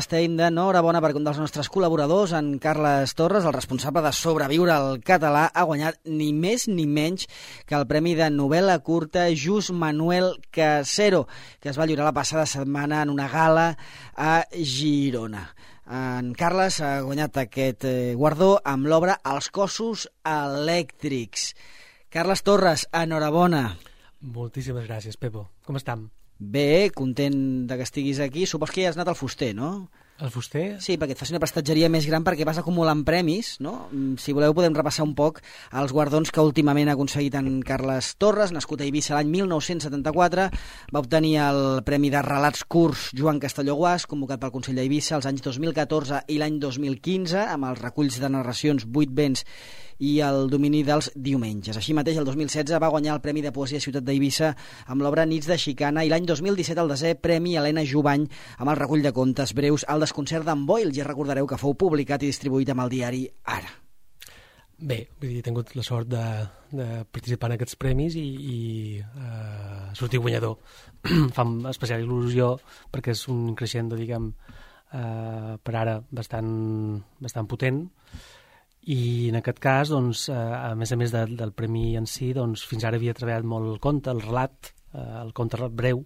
estem d'enhorabona perquè un dels nostres col·laboradors, en Carles Torres, el responsable de Sobreviure al català, ha guanyat ni més ni menys que el premi de novel·la curta Just Manuel Casero, que es va lliurar la passada setmana en una gala a Girona. En Carles ha guanyat aquest guardó amb l'obra Els cossos elèctrics. Carles Torres, enhorabona. Moltíssimes gràcies, Pepo. Com estem? Bé, content que estiguis aquí. Supos que ja has anat al fuster, no? El fuster? Sí, perquè et faci una prestatgeria més gran perquè vas acumulant premis, no? Si voleu podem repassar un poc els guardons que últimament ha aconseguit en Carles Torres, nascut a Eivissa l'any 1974, va obtenir el Premi de Relats Curts Joan Castelló Guàs, convocat pel Consell d'Eivissa els anys 2014 i l'any 2015, amb els reculls de narracions Vuit vents i el domini dels diumenges. Així mateix, el 2016 va guanyar el Premi de Poesia Ciutat d'Eivissa amb l'obra Nits de Xicana i l'any 2017 el desè Premi Helena Jubany amb el recull de contes breus El desconcert d'en Boyle. Ja recordareu que fou publicat i distribuït amb el diari Ara. Bé, vull dir, he tingut la sort de participar en aquests premis i sortir guanyador. Fa especial il·lusió perquè és un creixent, diguem, per ara bastant potent. I en aquest cas, doncs, a més del premi en si, doncs, fins ara havia treballat molt el conte, el relat, el conte breu,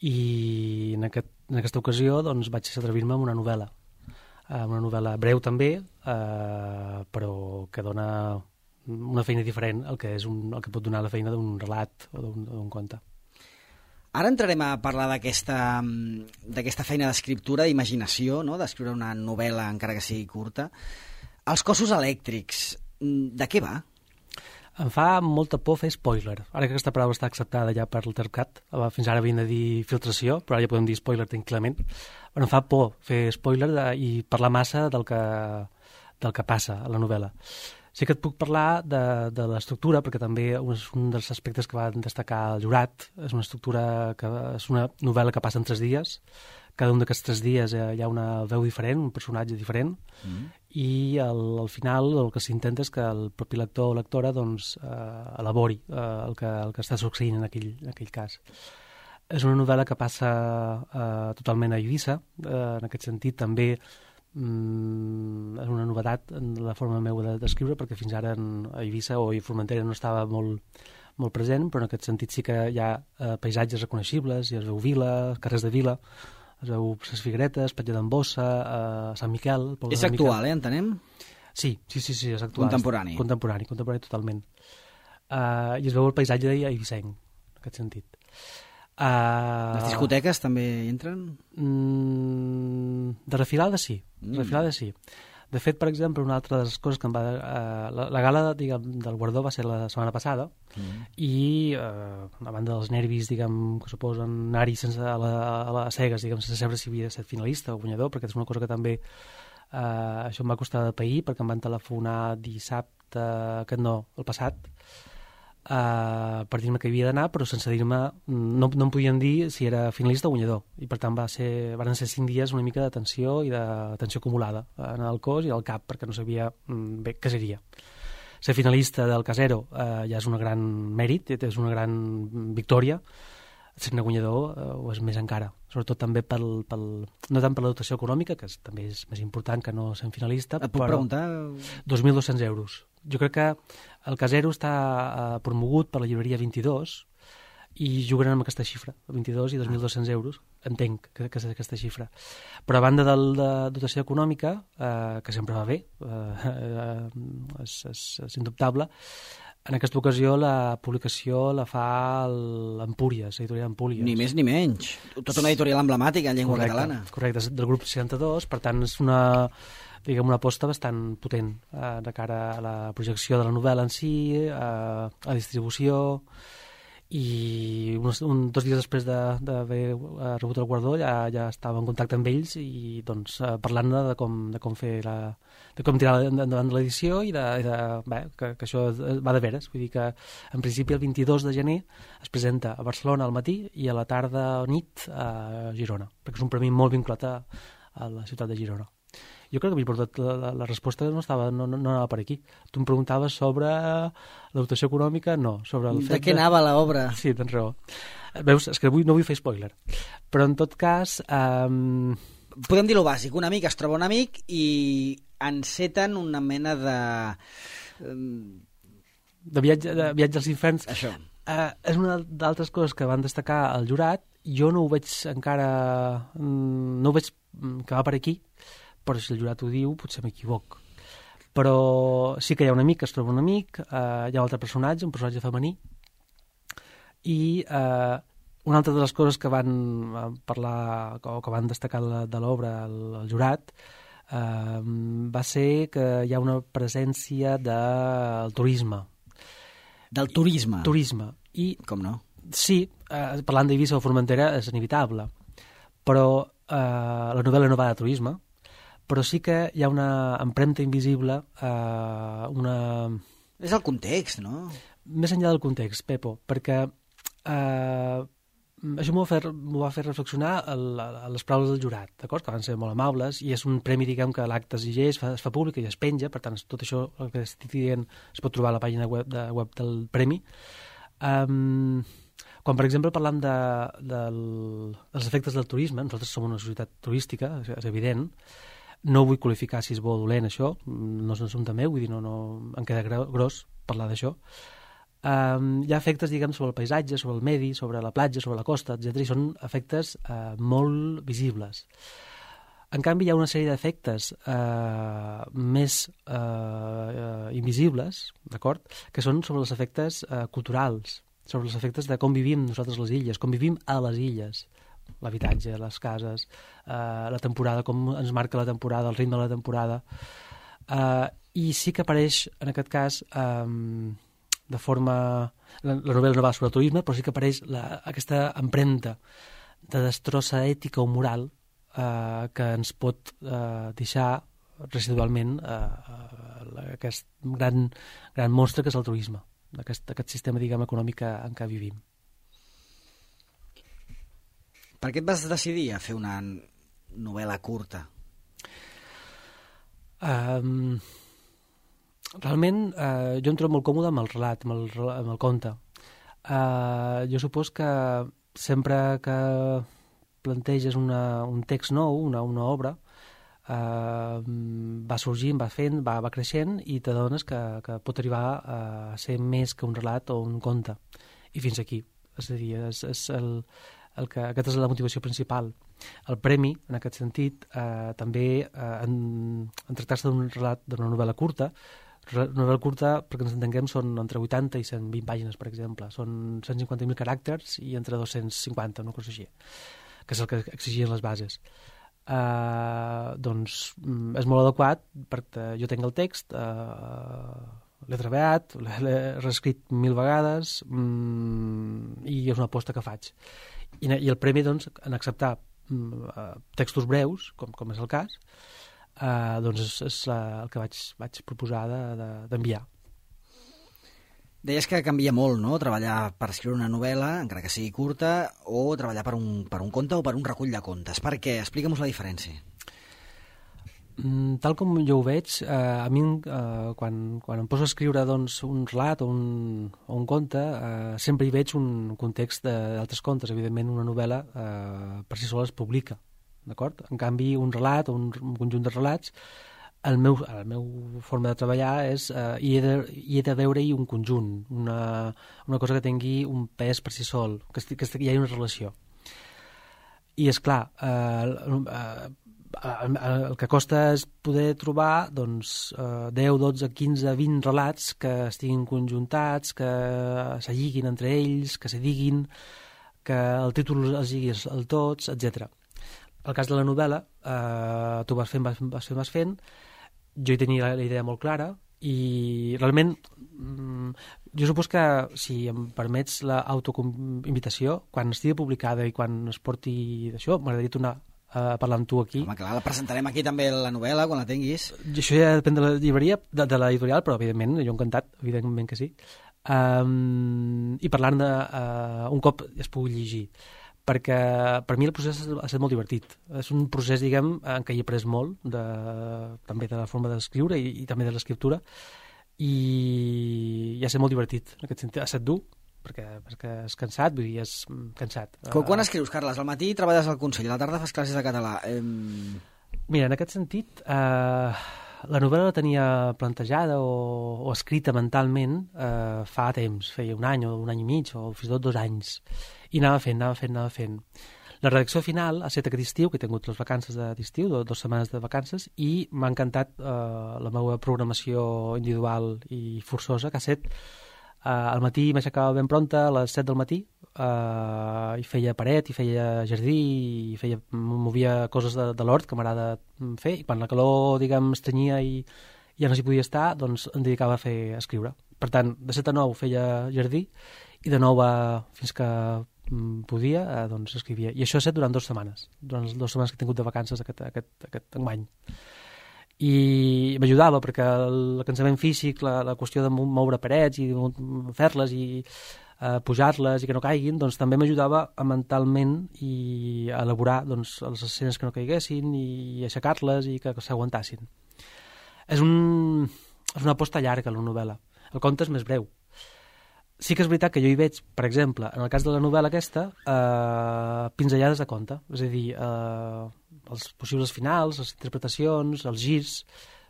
i en aquesta ocasió doncs, vaig atrevir-me amb una novel·la breu també, però que dona una feina diferent al que pot donar la feina d'un relat o d'un conte. Ara entrarem a parlar d'aquesta feina d'escriptura, d'imaginació, no? D'escriure una novel·la, encara que sigui curta. Els cossos elèctrics, de què va? Em fa molta por fer spoiler. Ara que aquesta paraula està acceptada ja per l'Tercat, fins ara havien de dir filtració, però ara ja podem dir spoiler tranquil·lament. Però em fa por fer spoiler i parlar massa del que passa a la novel·la. Sí que et puc parlar de l'estructura, perquè també és un dels aspectes que va destacar el jurat. És una novel·la que passa en 3 dies. Cada un d'aquests 3 dies hi ha una veu diferent, un personatge diferent, i al final el que s'intenta és que el propi lector o lectora doncs, elabori el que està succeint en aquell cas. És una novel·la que passa totalment a Eivissa, en aquest sentit també és una novetat en la forma meva d'escriure, perquè fins ara a Eivissa o a Formentera no estava molt present, però en aquest sentit sí que hi ha paisatges reconeixibles, i es veu vila, carrers de vila, es veu les Figueretes, Patge d'en Bossa, Sant Miquel... És actual, entenem? Sí, és actual. Contemporani. Contemporani totalment. I es veu el paisatge d'Eivissenc, en aquest sentit. Les discoteques també hi entren? De refilada sí. De fet, per exemple, una altra de les coses que em va... La gala, diguem, del guardó va ser la setmana passada i, a banda dels nervis, diguem, que suposen anar-hi a les cegues, diguem, sense saber si havia estat finalista o guanyador, perquè és una cosa que també això em va costar de pair, perquè em van telefonar dissabte, el passat, per dir-me que havia d'anar, però sense dir-me, no em podien dir si era finalista o guanyador, i per tant van ser 5 dies una mica de tensió i de tensió acumulada en el cos i al cap, perquè no sabia bé què seria. Ser finalista del Casero ja és un gran mèrit, és una gran victòria. Ser-ne guanyador ho és més encara, sobretot també no tant per la dotació econòmica, que també és més important que no ser finalista. Et puc preguntar? 2.200 euros. Jo crec que el Casero està promogut per la llibreria 22 i juguen amb aquesta xifra, 22 i 2.200 euros, entenc que és aquesta xifra. Però a banda de dotació econòmica, que sempre va bé, és indubtable, en aquesta ocasió la publicació la fa l'Empúries, l'editorial Empúries. Ni més ni menys. Tota una editorial emblemàtica en llengua catalana. Correcte, del grup 62, per tant és una aposta bastant potent de cara a la projecció de la novel·la en si, a la distribució, i 2 dies després d'haver rebut el guardó ja estava en contacte amb ells i doncs parlant de com tirar endavant l'edició i que això va de veres. Vull dir que en principi el 22 de gener es presenta a Barcelona al matí i a la tarda o nit a Girona, perquè és un premi molt vinculat a la ciutat de Girona. Jo crec que m'he portat la resposta no anava per aquí. Tu em preguntaves sobre la dotació econòmica, no. Sobre el fet de què anava l'obra? Sí, tens raó. Veus, és que no vull fer spoiler. Però en tot cas, podem dir-lo bàsic, un amic es troba un amic i enceten una mena de viatge als inferns. Això. És una d'altres coses que van destacar al jurat. Jo no ho veig encara... No ho veig que va per aquí, però si el jurat ho diu, potser m'equivoc. Però sí que hi ha un amic que es troba un amic, hi ha un altre personatge, un personatge femení, i una altra de les coses que van parlar o que van destacar de l'obra al jurat va ser que hi ha una presència del turisme. Del turisme? Turisme. I, com no? Sí, parlant d'Eivissa o Formentera és inevitable, però la novel·la no va de turisme, però sí que hi ha una empremta invisible, És el context, no? Més enllà del context, Pepo, perquè això m'ho va fer reflexionar a les paraules del jurat, d'acord? Que van ser molt amables, i és un premi, diguem, que l'acte exigeix, es fa públic i es penja, per tant, tot això, el que estic dient, es pot trobar a la pàgina web del premi. Quan, per exemple, parlam dels efectes del turisme, nosaltres som una societat turística, és evident, no vull qualificar si és bo o dolent això, no és un assumpte meu, vull dir, no em queda gros parlar d'això. Hi ha efectes, diguem, sobre el paisatge, sobre el medi, sobre la platja, sobre la costa, etc. I són efectes molt visibles. En canvi, hi ha una sèrie d'efectes més invisibles, d'acord?, que són sobre els efectes culturals, sobre els efectes de com vivim nosaltres les illes, com vivim a les illes, l'habitatge, les cases, la temporada, com ens marca la temporada, el ritme de la temporada. I sí que apareix, en aquest cas, de forma... La novel·la no va sobre el turisme, però sí que apareix aquesta empremta de destrossa ètica o moral que ens pot deixar residualment aquest gran monstre que és el turisme, aquest sistema, diguem, econòmic en què vivim. Per què et vas decidir a fer una novel·la curta? Realment, jo em trobo molt còmode amb el relat, amb el conte. Jo supos que sempre que planteges un text nou, una obra, va sorgint, va fent, va creixent, i t'adones que pot arribar a ser més que un relat o un conte. I fins aquí. És a dir, aquesta és la motivació principal. El premi, en aquest sentit, també en tractar-se d'un relat, d'una novel·la curta, perquè ens entenguem, són entre 80 i 120 pàgines, per exemple. Són 150.000 caràcters i entre 250, una cosa així, que és el que exigien les bases. Doncs és molt adequat perquè jo tinc el text, l'he treballat, l'he reescrit 1000 vegades i és una aposta que faig. I el premi, doncs, en acceptar textos breus, com és el cas, doncs és el que vaig proposar d'enviar. Deies que canvia molt, no?, treballar per escriure una novel·la, encara que sigui curta, o treballar per un conte o per un recull de contes. Per què? Explica'm la diferència. Tal com jo ho veig, a mi quan em poso a escriure, doncs, un relat o un conte, sempre hi veig un context d'altres contes. Evidentment, una novel·la per si sola es publica, d'acord? En canvi, un relat o un conjunt de relats, la meva forma de treballar és hi he de veure-hi un conjunt, una cosa que tingui un pes per si sol, que hi hagi una relació. I, esclar, el que costa és poder trobar, doncs, 10, 12, 15, 20 relats que estiguin conjuntats, que se lliguin entre ells, que se diguin, que el títol els lligui el tots, etc. El cas de la novel·la, tu vas fent, jo hi tenia la idea molt clara i realment jo supos que, si em permets l'autoinvitació, quan estigui publicada i quan es porti d'això, m'agradaria tornar a parlar amb tu aquí. Home, clar, la presentarem aquí també, la novel·la, quan la tinguis. Això ja depèn de la llibreria, de l'editorial, però evidentment, jo encantat, evidentment que sí. I parlant-ne un cop es pugui llegir, perquè per mi el procés ha estat molt divertit. És un procés, diguem, en què he après molt, també de la forma d'escriure i també de l'escriptura, i ha estat molt divertit, en aquest sentit. Ha estat dur, perquè és cansat, vull dir, és cansat. Quan escrius, Carles? Al matí treballes al Consell, a la tarda fas classes de català. Mira, en aquest sentit, la novel·la la tenia plantejada o escrita mentalment fa temps, feia un any o un any i mig o fins i tot 2 anys, i anava fent. La redacció final ha estat aquest estiu, que he tingut les vacances d'estiu, 2 setmanes de vacances, i m'ha encantat la meva programació individual i forçosa, que ha estat al matí m'aixecava ben pronta, a les 7 del matí, i feia paret, i feia jardí, i movia coses de l'hort que m'agrada fer, i quan la calor, diguem, estrenyia i ja no s'hi podia estar, doncs em dedicava a escriure. Per tant, de 7 a 9 feia jardí, i de 9 fins que podia, doncs escrivia. I això ha estat durant 2 setmanes, durant les 2 setmanes que he tingut de vacances aquest enguany. I m'ajudava perquè el cansament físic, la qüestió de moure parets i fer-les i pujar-les i que no caiguin, doncs també m'ajudava mentalment i a elaborar doncs, les escenes que no caiguessin i aixecar-les i que s'aguantassin. És una aposta llarga, la novel·la. El conte és més breu. Sí que és veritat que jo hi veig, per exemple, en el cas de la novel·la aquesta, pinzellades de conte. És a dir, els possibles finals, les interpretacions, els girs,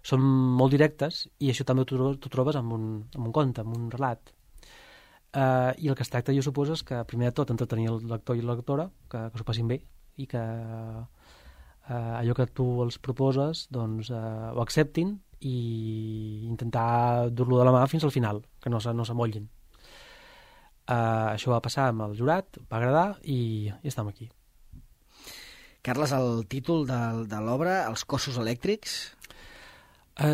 són molt directes i això també t'ho trobes en un conte, en un relat. I el que es tracta, jo suposo, és que primer de tot entretenir el lector i la lectora, que s'ho passin bé i que allò que tu els proposes doncs, ho acceptin i intentar dur-lo de la mà fins al final, que no s'amollin. Això va passar amb el jurat, va agradar i estem aquí. Carles, el títol de l'obra, Els cossos elèctrics?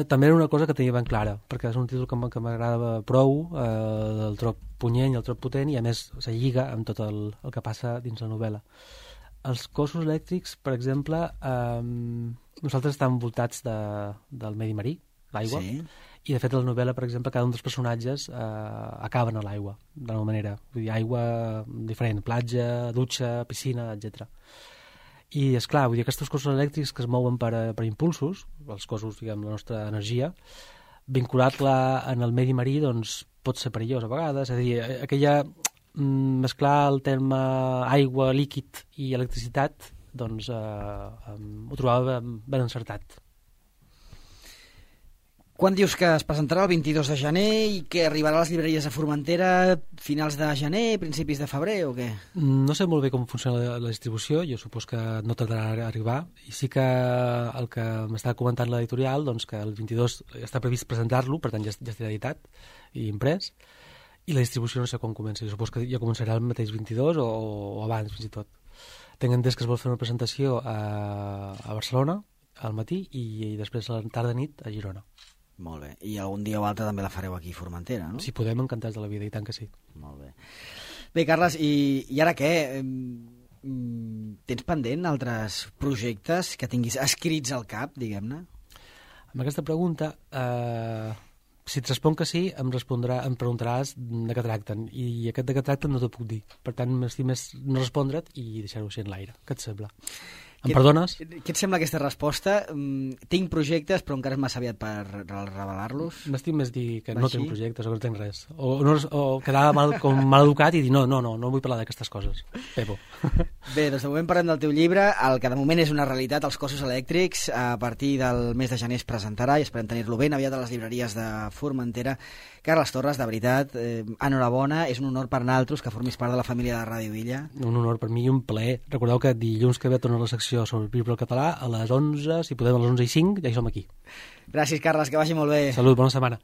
També era una cosa que tenia ben clara, perquè és un títol que m'agrada prou, el trob punyent i el trob potent, i a més se lliga amb tot el que passa dins la novel·la. Els cossos elèctrics, per exemple, nosaltres estem envoltats del medi marí, l'aigua, sí. I de fet a la novel·la, per exemple, cada un dels personatges acaben a l'aigua, d'alguna manera. Vull dir, aigua diferent, platja, dutxa, piscina, etc. I, esclar, vull dir, aquests cossos elèctrics que es mouen per impulsos, els cossos, diguem, la nostra energia, vincular-la en el medi marí, doncs, pot ser perillós a vegades. És a dir, mesclar el terme aigua, líquid i electricitat, doncs, ho trobava ben encertat. Quan dius que es presentarà el 22 de gener i que arribarà a les llibreries de Formentera finals de gener, principis de febrer o què? No sé molt bé com funciona la distribució, jo supos que no tardarà a arribar, i sí que el que m'estava comentant l'editorial, doncs que el 22 està previst presentar-lo, per tant ja estarà editat i imprès, i la distribució no sé quan comença, jo supos que ja començarà el mateix 22 o abans fins i tot. Tinc entès que es vol fer una presentació a Barcelona al matí i després a la tarda-nit a Girona. Molt bé. I algun dia o altre també la fareu aquí a Formentera, no? Si podem, encantats de la vida, i tant que sí. Molt bé. Bé, Carles, i ara què? Tens pendent altres projectes que tinguis escrits al cap, diguem-ne? Amb aquesta pregunta, si et responc que sí, em preguntaràs de què tracten, i aquest de què tracten no t'ho puc dir. Per tant, m'estim més no respondre't i deixar-ho així en l'aire. Què et sembla? Em perdones? Què et sembla aquesta resposta? Tinc projectes, però encara és massa aviat per revelar-los? M'estim més dir que no tinc projectes o que no tinc res. O quedar mal educat i dir no vull parlar d'aquestes coses. Pepo. Bé, doncs de moment parlem del teu llibre, el que de moment és una realitat, Els cossos elèctrics. A partir del mes de gener es presentarà i esperem tenir-lo ben aviat a les llibreries de Formentera. Carles Torres, de veritat, enhorabona, és un honor per naltros que formis part de la família de Ràdio Illa. Un honor per mi i un plaer. Recordeu que dilluns que ve torna la secció sobre el llibre català a les 11, si podem a les 11:05, ja hi som aquí. Gràcies, Carles, que vagi molt bé. Salut, bona setmana.